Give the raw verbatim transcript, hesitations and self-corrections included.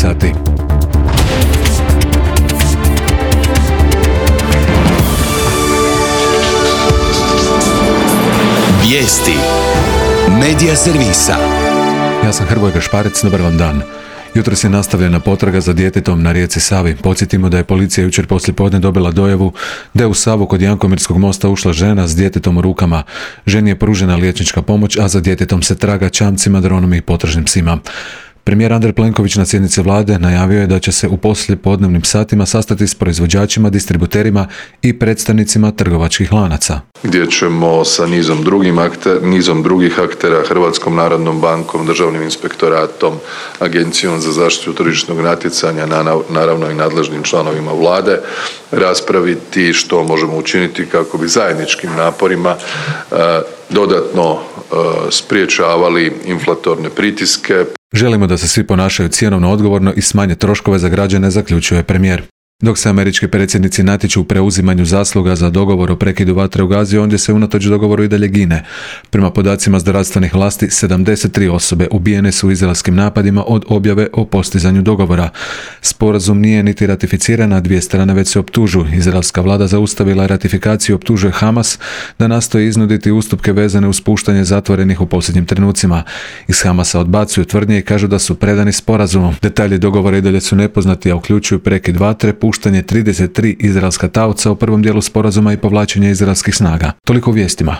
sati. Vijesti Medija servisa. Ja sam Hrvoje Gašparec, dobar vam dan. Jutros je nastavljena potraga za djetetom na rijeci Savi. Podsjetimo da je policija jučer poslijepodne dobila dojavu da je u Savu kod Jankomirskog mosta ušla žena s djetetom u rukama. Ženi je pružena liječnička pomoć, a za djetetom se traga čamcima, dronom i potražnim psima. Premijer Andrej Plenković na sjednici vlade najavio je da će se u poslijepodnevnim satima sastati s proizvođačima, distributerima i predstavnicima trgovačkih lanaca. Gdje ćemo sa nizom, drugim akter, nizom drugih aktera, Hrvatskom narodnom bankom, Državnim inspektoratom, Agencijom za zaštitu tržišnog natjecanja, naravno i nadležnim članovima vlade, raspraviti što možemo učiniti kako bi zajedničkim naporima eh, dodatno eh, spriječavali inflatorne pritiske. Želimo da se svi ponašaju cjenovno odgovorno i smanje troškove za građane, zaključuje premijer. Dok se američki predsjednici natječu u preuzimanju zasluga za dogovor o prekidu vatre u Gazi, ondje se unatoč dogovoru i dalje gine. Prema podacima zdravstvenih vlasti, sedamdeset tri osobe ubijene su u izraelskim napadima od objave o postizanju dogovora. Sporazum nije niti ratificiran, a dvije strane već se optužuju. Izraelska vlada zaustavila ratifikaciju i optužuje Hamas da nastoji iznuditi ustupke vezane uz puštanje zatvorenih u posljednjim trenucima. Iz Hamasa odbacuju tvrdnje i kažu da su predani sporazumom. Detalji dogovora i dalje su nepoznati, a uključuju prekid vatre, puštanje trideset tri izraelska taoca u prvom dijelu sporazuma i povlačenje izraelskih snaga. Toliko u vijestima.